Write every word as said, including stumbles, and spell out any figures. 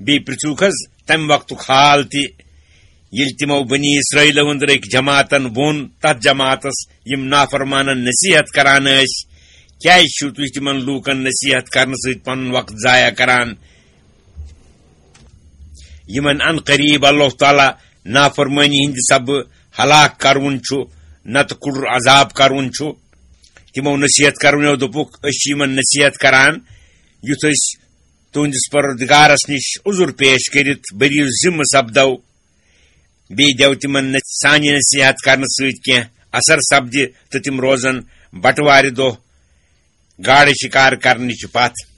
بیٚیہِ پرٛژھوکھ حظ تَمہِ وقتُک حال تہِ، ییٚلہِ تِمو بنی اسرائیلو أنٛدرٕ أکۍ جماعتن ووٚن، تتھ جماعتس یِم نافرمانن نصیحت کران ٲسۍ، "کیازِ چھِو تُہۍ تِمن لوٗکن نصیحت کرنہٕ سۭتۍ پنُن وقت ضایع کران، یِمن ان قریب اللہ تعالیٰ نافرمٲنی ہٕنٛدِ سببہٕ ہلاک کرُن چھُ، نتہٕ کُڑُر عذاب کرُن چھُ؟" تِمو نصیحت کرنیو دوٚپُکھ، "أسۍ چھِ یِمن نصیحت کران، یُتھ أسۍ تُہنٛدِس پروردگارس نِش عذر پیش کٔرِتھ بٔرِو ذمہٕ سپدو۔" بیٚیہِ دٮ۪و تِمن نہ-، سانہِ نصیحت کرنہٕ سۭتۍ کینٛہہ اثر سپدِ تہٕ تِم روزن بٹوارِ دۄہ گاڈٕ شِکار کرنٕچ پتھ۔